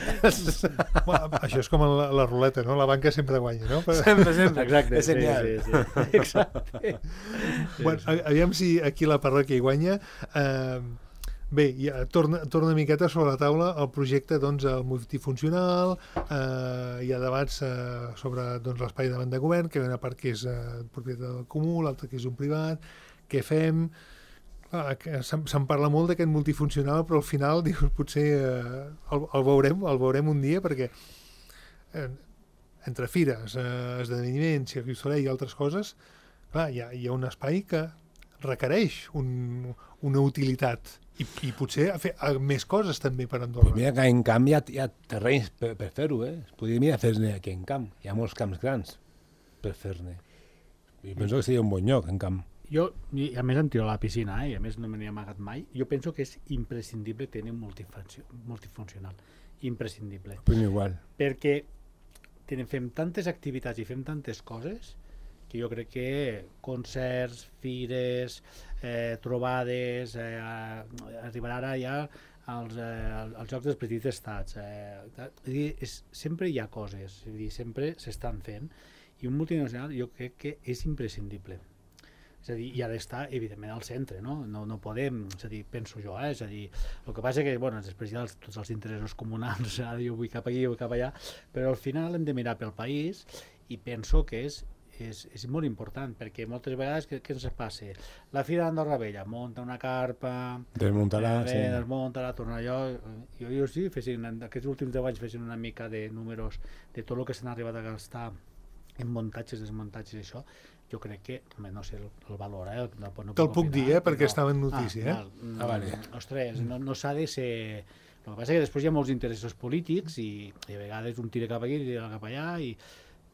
Bueno, això és com la ruleta, no? La banca sempre guanya, no? Sempre. Exacte, és genial. Sí. Exacte. Bueno, aviam si aquí la parròquia hi guanya. Bé, ja torna una miqueta sobre la taula el projecte, doncs, el multifuncional, hi ha debats sobre l'espai davant de govern, que hi ha una part que és propietat del comú, l'altra que és un privat, què fem... Se'n parla molt d'aquest multifuncional, però al final dius, potser el veurem un dia, perquè entre fires, esdeveniments, Cirque du Soleil i altres coses, clar, hi ha un espai que requereix una utilitat i potser fer més coses també per Andorra. Pues mira que en camp hi ha terrenys per fer-ho, Es podria mirar fer-ne aquí en camp. Hi ha molts camps grans per fer-ne. Jo penso que seria un bon lloc en camp. Jo, a més em tiro a la piscina, i a més no me n'he amagat mai, jo penso que és imprescindible tenir un multifuncional. Imprescindible. Però igual. Perquè fem tantes activitats i fem tantes coses que jo crec que concerts, fires, trobades, arribarà ara ja als Jocs dels Petits Estats. Sempre hi ha coses, sempre s'estan fent, i un multinacional jo crec que és imprescindible. És a dir, i ha d'estar, evidentment, al centre, no? No podem, és a dir, penso jo, és a dir, el que passa que, bueno, després hi ha tots els interessos comunals, jo vull cap aquí, jo vull cap allà, però al final hem de mirar pel país, i penso que és molt important, perquè moltes vegades què ens passa? La Fira d'Andorra Vella munta una carpa, desmunta-la, torna allò... Jo sí, aquests últims 10 anys fessin una mica de números de tot el que s'han arribat a gastar en muntatges, desmuntatges i això, jo crec que, no sé el valor, Te'l puc dir, perquè estava en notícia. Vale. Ostres, no s'ha de ser... El que passa és que després hi ha molts interessos polítics i a vegades un tira cap aquí, tira cap allà,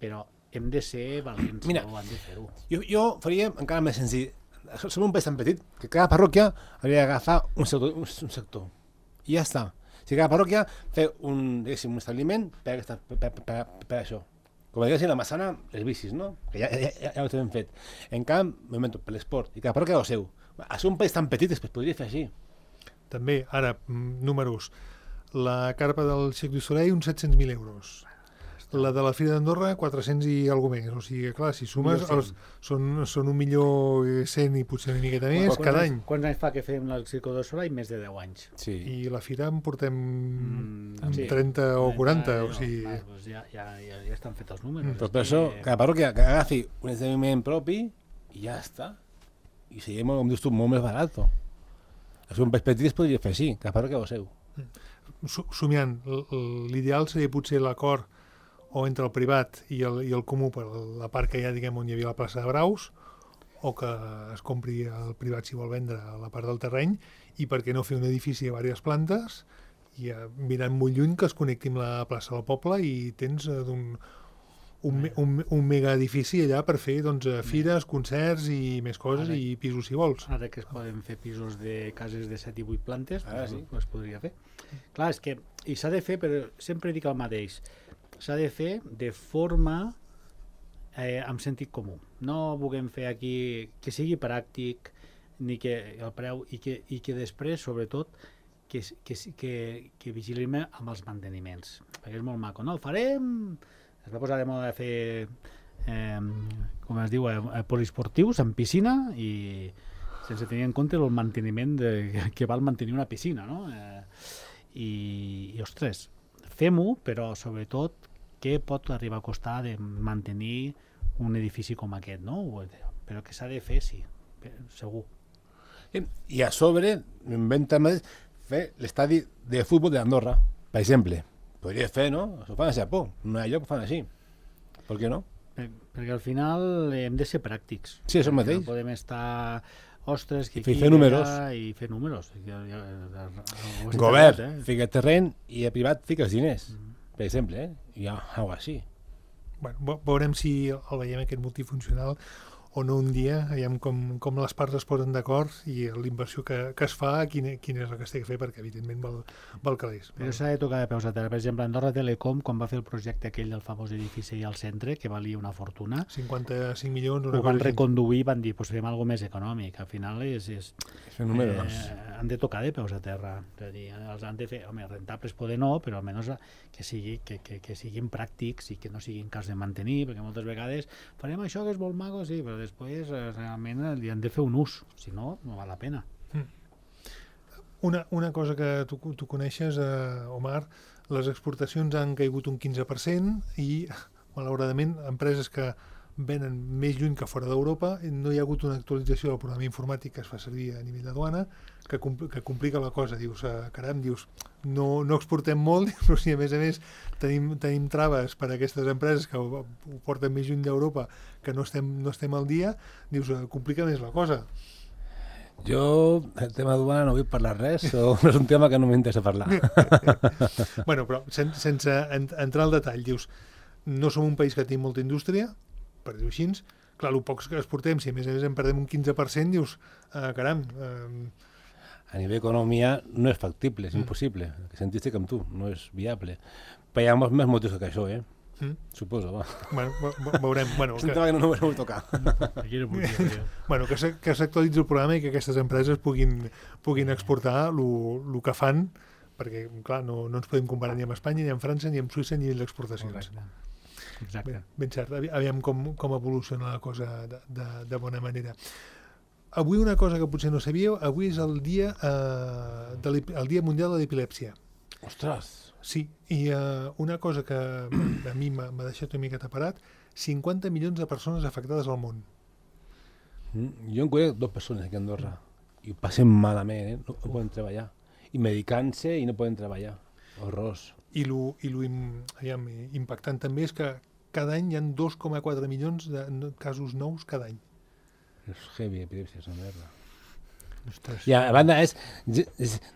però hem de ser valents, no hem de fer-ho. Jo faria encara més senzill. Som un país tan petit que cada parròquia hauria d'agafar un sector. I ja està. Si cada parròquia fer un establiment per això. Com diguéssim, la Massana, les bicis, no? Que ja ho tenim fet. En camp, m'invento, per l'esport. I cada parròquia ho seu. A ser un país tan petit es podria fer així. També, ara, números. La carpa del Cirque du Soleil, uns 700.000 euros. La de la Fira d'Andorra, 400 i alguna més. O sigui, clar, si sumes, són 1.100.000 i potser una miqueta més cada any. Quants anys fa que fem el Cirque du Soleil? Més de 10 anys. Sí. I la Fira en portem 30 o 40. O sigui... Ja estan fets els números. Però per això, cada parròquia que agafi un esdeveniment propi i ja està. I seria, com dius tu, molt més barat. És un país petit es podria fer així, cada parròquia ho seu. Somiant, l'ideal seria potser l'acord o entre el privat i el comú per la part que hi ha, diguem, on hi havia la plaça de Braus, o que es compri el privat si vol vendre la part del terreny, i per què no fer un edifici a diverses plantes i mirant molt lluny que es connecti amb la plaça del poble i tens un mega edifici allà per fer fires, concerts i més coses, i pisos si vols. Ara que es poden fer pisos de cases de 7 i 8 plantes, es podria fer. Clar, és que s'ha de fer, però sempre dic el mateix, s'ha de fer de forma amb sentit comú. No vulguem fer aquí que sigui pràctic ni que el preu i que després, sobretot, que vigilem amb els manteniments. Perquè és molt maco. No, farem... Es va posar de moda de fer, com es diu, poliesportius amb piscina i sense tenir en compte el manteniment que val mantenir una piscina, no? I ostres, fem-ho, però sobretot què pot arribar a costar de mantenir un edifici com aquest, no? Però que s'ha de fer, sí, segur. I a sobre, m'inventa més fer l'estadi de futbol d'Andorra, per exemple. Podria fer, no? Això ho fan a Japó. No hi ha lloc que fan així. Per què no? Perquè al final hem de ser pràctics. Sí, això mateix. No podem estar... Ostres, que I fer números. I fer números. Govern, fica terreny i a privat fiques diners. Per exemple, i algo així. Bueno, veurem si el veiem aquest multifuncional o no un dia, veiem com les parts es posen d'acord i l'inversió que es fa, quina és la que es té que fer, perquè evidentment val calés. Però s'ha de tocar de peus a terra. Per exemple, Andorra Telecom, quan va fer el projecte aquell del famós edifici al centre, que valia una fortuna, 55 milions, ho van reconduir i van dir, pues fem alguna més econòmic. Al final han de tocar de peus a terra. És a dir, els han de fer, home, rentables poder no, però almenys que siguin pràctics i que no siguin cas de mantenir, perquè moltes vegades farem això que és molt maco, sí, però després realment li han de fer un ús, si no, no val la pena. Una cosa que tu coneixes, Omar, les exportacions han caigut un 15% i, malauradament, empreses que venen més lluny que fora d'Europa, no hi ha hagut una actualització del programa informàtic que es fa servir a nivell de duana, que complica la cosa. Dius, caram, no exportem molt, però si a més tenim traves per a aquestes empreses que ho porten més lluny d'Europa, que no estem al dia, dius, complica més la cosa. Jo, el tema duana no vull parlar res, o és un tema que no m'interessa parlar. Bueno, però sense entrar al detall, dius, no som un país que tingui molta indústria, per dir-ho així, clar, el pocs que exportem, si a més en perdem un 15%, dius, caram... A nivell d'economia no és factible, és impossible. El que sentiste com tu, no és viable. Però hi ha molts més motius que això, Suposo, va. Bueno, veurem. Bueno, és un tema que no vull tocar. Bueno, que s'actualitzi el programa i que aquestes empreses puguin exportar el que fan, perquè, clar, no ens podem comparar ni amb Espanya, ni amb França, ni amb Suïssa, ni amb exportacions. Exacte. Ben cert, aviam com evoluciona la cosa de bona manera. Avui una cosa que potser no sabíeu, avui és el dia mundial de l'epilèpsia. Ostres! Sí, i una cosa que a mi m'ha deixat una miqueta parat, 50 milions de persones afectades al món. Jo en conec 2 persones aquí a Andorra i ho passen malament, no poden treballar. I medicant-se i no poden treballar. Horrors. I lo impactant també és que cada any hi ha 2,4 milions de casos nous cada any. És heavy, epilèpsia, és una merda. I a banda és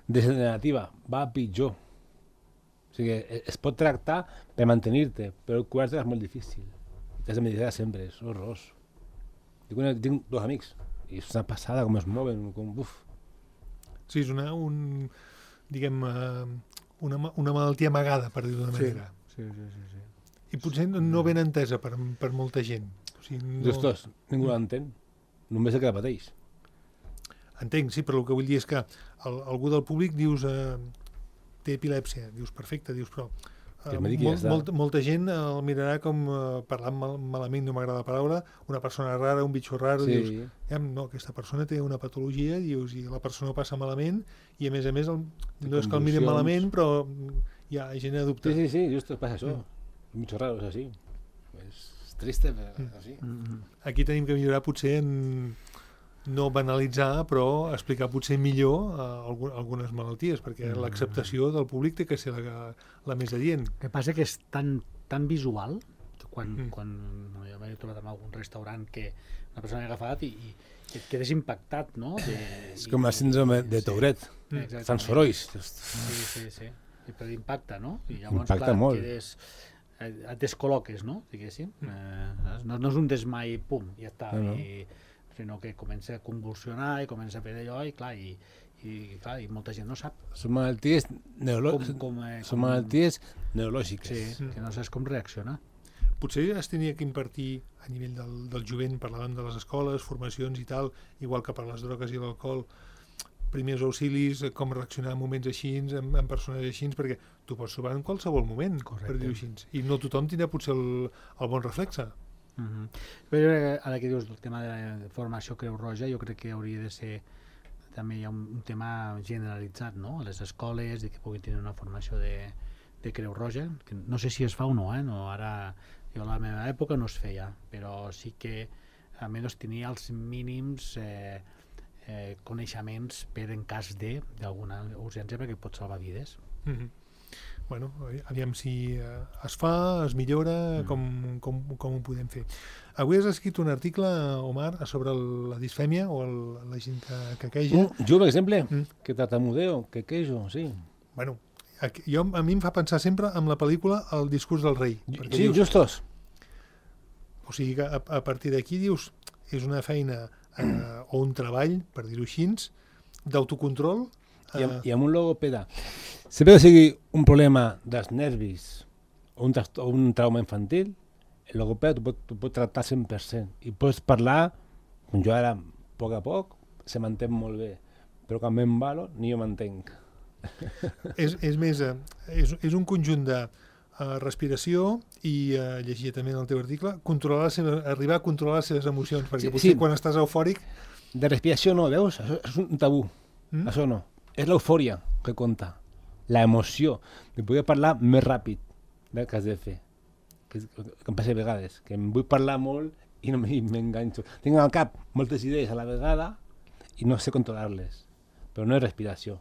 degenerativa, va a pitjor. O sigui, es pot tractar per mantenir-te, però el curar-te és molt difícil. T'has de meditar sempre, és horrorós. Tinc 2 amics, i és una passada com es mouen, com buf. Sí, és una malaltia amagada, per dir-ho d'una manera. Sí. I potser no ben entesa per molta gent. O sigui, Justos, ningú l'entén. Només el que la pateix. Entenc, sí, però el que vull dir és que algú del públic dius té epilèpsia, dius perfecte, dius però molta gent el mirarà com parlant malament, no m'agrada la paraula, una persona rara, un bitxo raro, sí. Dius, no, aquesta persona té una patologia, dius, i la persona ho passa malament, i a més no és que el miren malament, però ja genera dubte. Sí, just passa això. Un bitxo raro és així. És triste, però així. Aquí tenim que millorar potser en no banalitzar, però explicar potser millor algunes malalties, perquè l'acceptació del públic té que ser la més adient. El que passa que és tan visual, quan jo m'he trobat en algun restaurant que una persona ha agafat i et quedes impactat, no? És com la síndrome de Tourette, fan sorolls. Sí, però impacta, no? I llavors, impacta molt. Et descol·loques, no? Diguéssim. No és un desmai, pum, ja està. Sinó que comença a convulsionar i comença a fer d'allò i molta gent no sap. Són malalties neurològiques. Sí, que no saps com reaccionar. Potser es tenia que impartir a nivell del jovent, parlàvem de les escoles, formacions i tal, igual que per les drogues i l'alcohol, primers auxilis, com reaccionar en moments així, en persones així, perquè tu pots trobar en qualsevol moment, per dir-ho així. I no tothom tindrà potser el bon reflexe. Però ara que dius el tema de la formació Creu Roja, jo crec que hauria de ser també hi ha un tema generalitzat, no? A les escoles i que puguin tenir una formació de Creu Roja, que no sé si es fa o no, no, ara jo a la meva època no es feia, però sí que almenys tenia els mínims coneixements per en cas d'alguna urgència perquè pot salvar vides. bueno, aviam si es fa, es millora, com ho podem fer. Avui has escrit un article, Omar, sobre la disfèmia o la gent que queja. Jo, per exemple, que tartamudeo, que quejo, sí. Bueno, a mi em fa pensar sempre en la pel·lícula El discurs del rei. Sí, justos. O sigui que a partir d'aquí dius, és una feina o un treball, per dir-ho així, d'autocontrol. I amb un logopeda. Sempre que sigui un problema dels nervis o un trauma infantil, el logopeda t'ho pot tractar 100%. I pots parlar, com jo ara, a poc, se m'entén molt bé. Però quan m'embalo, ni jo m'entenc. És més, és un conjunt de respiració i llegia també en el teu article, arribar a controlar les seves emocions, perquè potser quan estàs eufòric... De respiració no, veus? Això és un tabú. Això no. És l'eufòria que compta. L'emoció de poder parlar més ràpid del que has de fer. Que em passa a vegades, que em vull parlar molt i no m'enganxo. Tinc al cap moltes idees a la vegada i no sé controlar-les. Però no és respiració.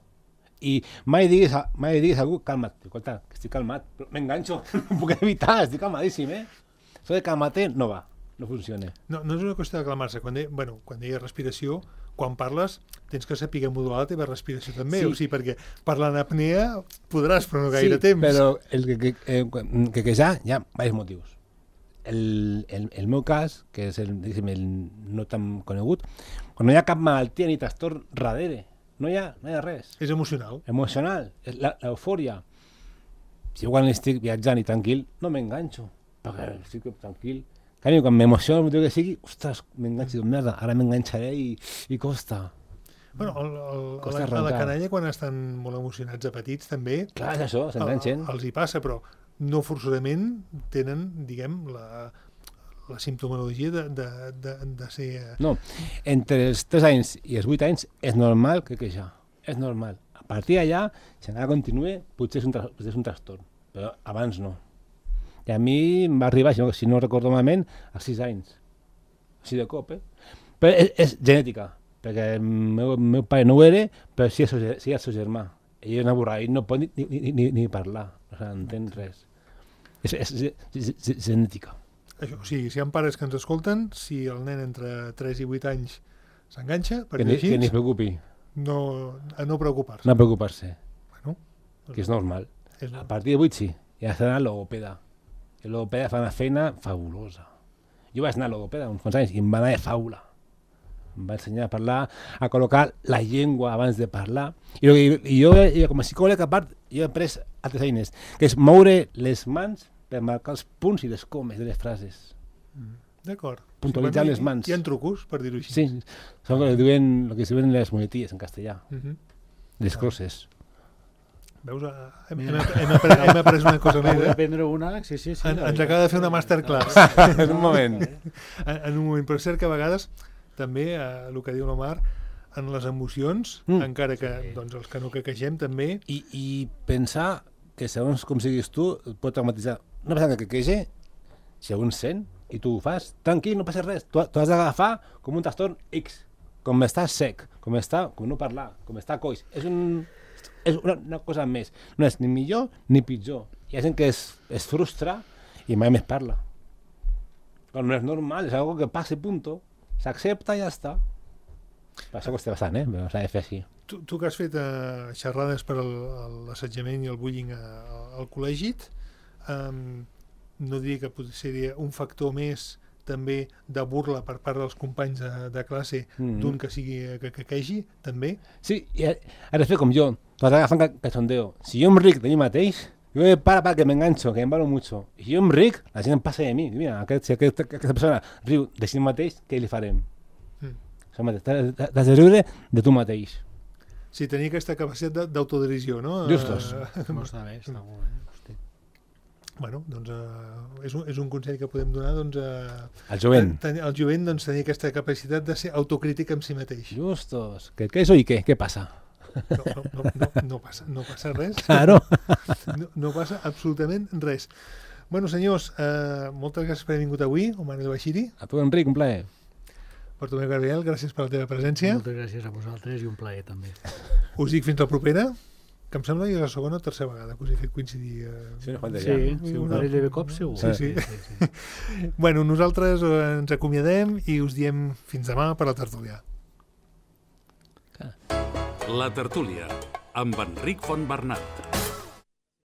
I mai diguis a algú, calma't, escolta, que estic calmat, però m'enganxo, no puc evitar, estic calmadíssim, Això de calmate no va, no funciona. No és una qüestió de calmar-se. Quan deia respiració, quan parles tens que saber modular la teva respiració també, o sigui, perquè parlant apnea podràs, però no gaire temps. Sí, però el que ja hi ha diversos motius. El meu cas, que és el no tan conegut, quan no hi ha cap malaltia ni trastorn darrere, no hi ha res. És emocional. Emocional, és l'eufòria. Si quan estic viatjant i tranquil, no m'enganxo, perquè estic tranquil. Quan m'emociono, el motiu que sigui, ostres, m'enganxo de merda, ara m'enganxaré i costa. Bueno, a la canalla, quan estan molt emocionats a petits, també... Clar, és això, s'enganxen. Els hi passa, però no forçosament tenen, diguem, la simptomologia de ser... No, entre els 3 anys i els 8 anys és normal que queixar, és normal. A partir d'allà, si encara continua, potser és un trastorn, però abans no. I a mi em va arribar, si no recordo malament, als 6 anys. Així de cop, Però és genètica, perquè el meu pare no ho era, però sí el seu germà. Ell és una borrada, ell no pot ni parlar, no s'entén res. És genètica. Això, o sigui, si hi ha pares que ens escolten, si el nen entre 3 i 8 anys s'enganxa, que ni es preocupi. No preocupar-se. No preocupar-se. Bueno, que és normal. A partir de 8 sí, ja s'ha d'anar al logopeda. El logopeda fa una feina fabulosa. Jo vaig anar al logopeda uns quants anys i em va anar de faula. Em va ensenyar a parlar, a col·locar la llengua abans de parlar. I jo, com a psicòleg, a part, jo he après altres eines, que és moure les mans per marcar els punts i les comes de les frases. D'acord. Puntualitzar les mans. Hi ha trucos, per dir-ho així. Sí, són el que es diuen les muletilles en castellà. Les crosses. Veus? Hem après una cosa més. Hem d'aprendre una, sí. Ens acaba de fer una masterclass. En un moment. En un moment, però és cert que a vegades també, el que diu l'Omar, en les emocions, encara que els que no quequegem també... I pensar que segons com siguis tu, et pot traumatitzar. Una persona que quequege, si algú sent, i tu ho fas, tranquil, no passa res. Tu has d'agafar com un trastorn X, com està sec, com no parlar, com està coix. És una cosa més. No és ni millor ni pitjor. Hi ha gent que es frustra i mai més parla. Però no és normal, és algo que passa i punto. S'accepta i ja està. Per això costa bastant, però s'ha de fer així. Tu que has fet xerrades per l'assetjament i el bullying al col·legi, no diria que potser seria un factor més també de burla per part dels companys de classe d'un que sigui que quequegi, també? Sí, i has de fer com jo. Tu has d'agafar cachondeo. Si jo em ric de mi mateix, jo para que m'enganxo, que em valo mucho. I si jo em ric, la gent em passa de mi. Mira, si aquesta persona riu de si mateix, què li farem? T'has de riure de tu mateix. Sí, tenir aquesta capacitat d'autodirisió, no? Justos. No està bé, està molt bé. Bueno, doncs és un consell que podem donar al jovent. Al jovent, tenir aquesta capacitat de ser autocrític amb si mateix. Justos. Què és o i què? Què passa? No passa res. Claro. No passa absolutament res. Bueno, senyors, moltes gràcies per haver vingut avui, Omar El Bashiri. A tu, Enric, un plaer. Bartomeu Gabriel, gràcies per la teva presència. Moltes gràcies a vosaltres i un plaer també. Us dic fins la propera, que em sembla que és la segona o tercera vegada que us he fet coincidir. Sí, un parell de cops segur. Sí. Bueno, nosaltres ens acomiadem i us diem fins demà per la tertúlia. La tertúlia, amb Enric Fontbernat.